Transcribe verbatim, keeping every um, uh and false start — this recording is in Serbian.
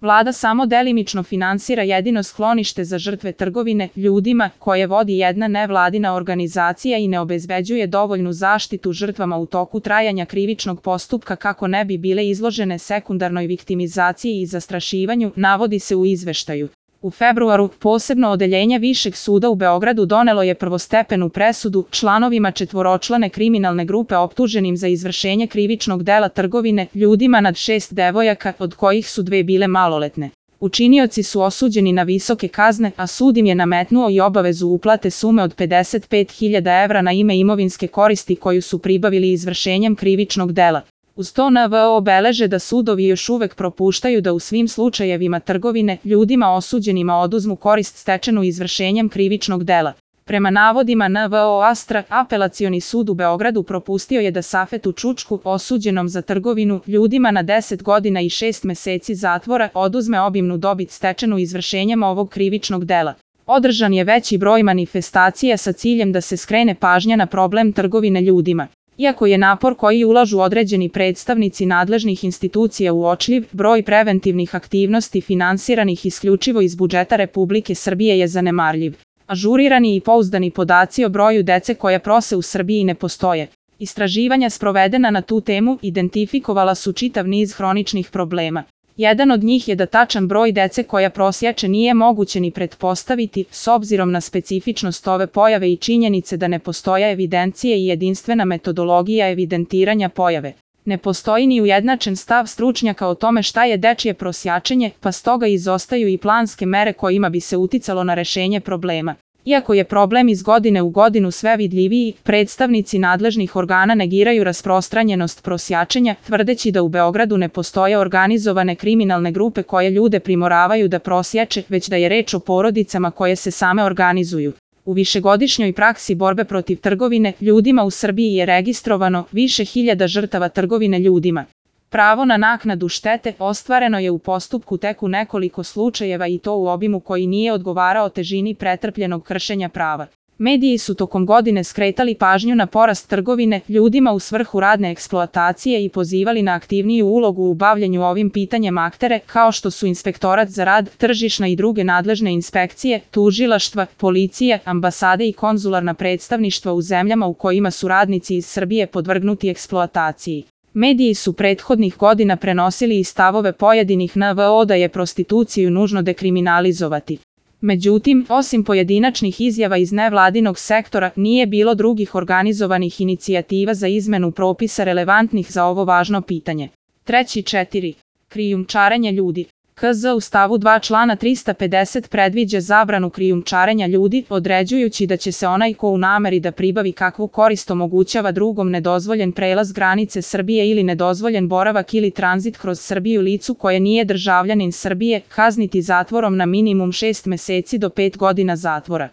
Vlada samo delimično finansira jedino sklonište za žrtve trgovine ljudima koje vodi jedna nevladina organizacija i ne obezbeđuje dovoljnu zaštitu žrtvama u toku trajanja krivičnog postupka kako ne bi bile izložene sekundarnoj viktimizaciji i zastrašivanju, navodi se u izveštaju. U februaru, posebno odeljenje Višeg suda u Beogradu donelo je prvostepenu presudu članovima četvoročlane kriminalne grupe optuženim za izvršenje krivičnog dela trgovine ljudima nad šest devojaka, od kojih su dve bile maloletne. Učinioci su osuđeni na visoke kazne, a sud im je nametnuo i obavezu uplate sume od pedeset pet hiljada evra na ime imovinske koristi koju su pribavili izvršenjem krivičnog dela. Uz to N V O beleže da sudovi još uvek propuštaju da u svim slučajevima trgovine ljudima osuđenima oduzmu korist stečenu izvršenjem krivičnog dela. Prema navodima N V O Astra, Apelacioni sud u Beogradu propustio je da Safetu Čučku, osuđenom za trgovinu ljudima na deset godina i šest meseci zatvora, oduzme obimnu dobit stečenu izvršenjem ovog krivičnog dela. Održan je veći broj manifestacija sa ciljem da se skrene pažnja na problem trgovine ljudima. Iako je napor koji ulažu određeni predstavnici nadležnih institucija uočljiv, broj preventivnih aktivnosti finansiranih isključivo iz budžeta Republike Srbije je zanemarljiv. Ažurirani i pouzdani podaci o broju dece koja prose u Srbiji ne postoje. Istraživanja sprovedena na tu temu identifikovala su čitav niz hroničnih problema. Jedan od njih je da tačan broj dece koja prosjače nije moguće ni pretpostaviti, s obzirom na specifičnost ove pojave i činjenice da ne postoje evidencije i jedinstvena metodologija evidentiranja pojave. Ne postoji ni ujednačen stav stručnjaka o tome šta je dečije prosjačenje, pa stoga izostaju i planske mere kojima bi se uticalo na rešenje problema. Iako je problem iz godine u godinu sve vidljiviji, predstavnici nadležnih organa negiraju rasprostranjenost prosjačenja, tvrdeći da u Beogradu ne postoje organizovane kriminalne grupe koje ljude primoravaju da prosjače, već da je reč o porodicama koje se same organizuju. U višegodišnjoj praksi borbe protiv trgovine ljudima u Srbiji je registrovano više hiljada žrtava trgovine ljudima. Pravo na naknadu štete ostvareno je u postupku tek u nekoliko slučajeva i to u obimu koji nije odgovarao težini pretrpljenog kršenja prava. Mediji su tokom godine skretali pažnju na porast trgovine ljudima u svrhu radne eksploatacije i pozivali na aktivniju ulogu u bavljenju ovim pitanjem aktere, kao što su Inspektorat za rad, tržišna i druge nadležne inspekcije, tužilaštva, policije, ambasade i konzularna predstavništva u zemljama u kojima su radnici iz Srbije podvrgnuti eksploataciji. Mediji su prethodnih godina prenosili i stavove pojedinih N V O da je prostituciju nužno dekriminalizovati. Međutim, osim pojedinačnih izjava iz nevladinog sektora, nije bilo drugih organizovanih inicijativa za izmenu propisa relevantnih za ovo važno pitanje. Treći četiri. Krijumčarenje ljudi. K Z u stavu dva člana trista pedeset predviđa zabranu krijumčarenja ljudi, određujući da će se onaj ko u nameri da pribavi kakvu korist omogućava drugom nedozvoljen prelaz granice Srbije ili nedozvoljen boravak ili tranzit kroz Srbiju licu koje nije državljanin Srbije, kazniti zatvorom na minimum šest meseci do pet godina zatvora.